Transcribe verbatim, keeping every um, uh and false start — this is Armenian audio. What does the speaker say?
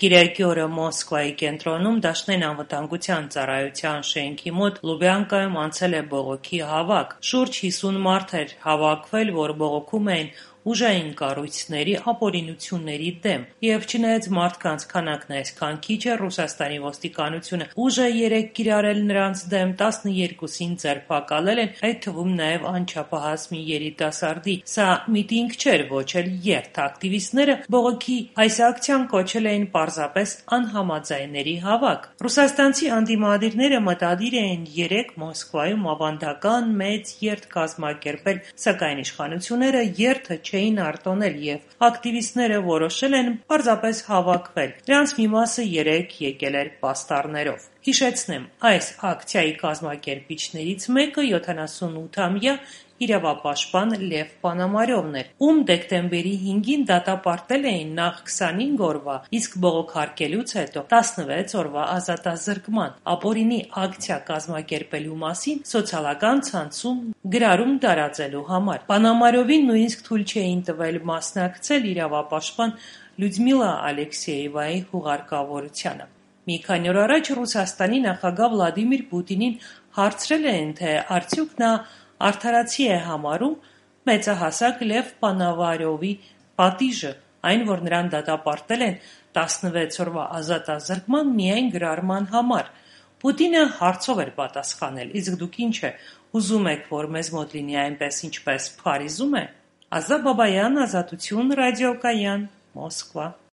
Կիրակի օրը Մոսկվայի կենտրոնում Դաշնային անվտանգության ծառայության շենքի մոտ Լուբյանկայում անցել է բողոքի հավաք։ Շուրջ հիսուն մարդ էր հավաքվել, որ բողոքում էին ուժային կառույցների ապօրինությունների դեմ։ Եվ չնայած մարդկանց քանակն այսքան քիչ է, Ռուսաստանի ոստիկանությունը ուժ է երեկ կիրառել նրանց դեմ, տասնյոթին ձերբակալել են, այդ թվում նաև անչափահաս մի երիտասարդի։ Սա միտինգ չէր, ոչ էլ երթ։ Ակտիվիստները բողոքի այս ակցիան կոչել էին պարզապես անհամաձայնների հավաք։ Ռուսաստանցի ընդդիմադիրները մտադիր էին երեկ Մոսկվայում ավանդական մեծ երթ կազմակերպել, սակայն իշխանությունները երթը չէին արտոնել և ակտիվիստները որոշել են պարզապես հավաքվել։ Նրանց մի մասը երեկ եկել էր պաստառներով։ Հիշեցնեմ, այս ակցիայի կազմակերպիչներից մեկը յոթանասունութամյա իրավապաշտպան Լև Պոնոմարյովն էր, ում դեկտեմբերի հինգին դատապարտել էին նախ քսանհինգ օրվա, իսկ բողոքարկելուց հետո տասնվեց օրվա ազատազրկման, ապօրինի ակցիա կազմակերպելու մասին սոցիալական ցանցում գրառում տարածելու համար։ Պոնոմարյովին նույնիսկ թույլ չէին տվել մասնակցել իրավապաշտպան Լյուդմիլա Ալեքսեևայի հուղարկավորությանը։ Մի քանի օր առաջ Ռուսաստանի նախագահ Վլադիմիր Պուտինին հարցրել են, թե արդյոք նա արդարացի է համարում մեծահասակ Լև Պոնոմարյովի պատիժը, այն, որ նրան դատապարտել են տասնվեց օրվա ազատազրկման միայն գրառման համար։ Պուտինը հարցով էր պատասխանել. «Իսկ դուք ինչ է, ուզում եք, որ մեզ մոտ լինի այնպես, ինչպես Փարիզում է»։ Ազա Բաբայան, Ազատություն ռադիոկայան, Մոսկվա։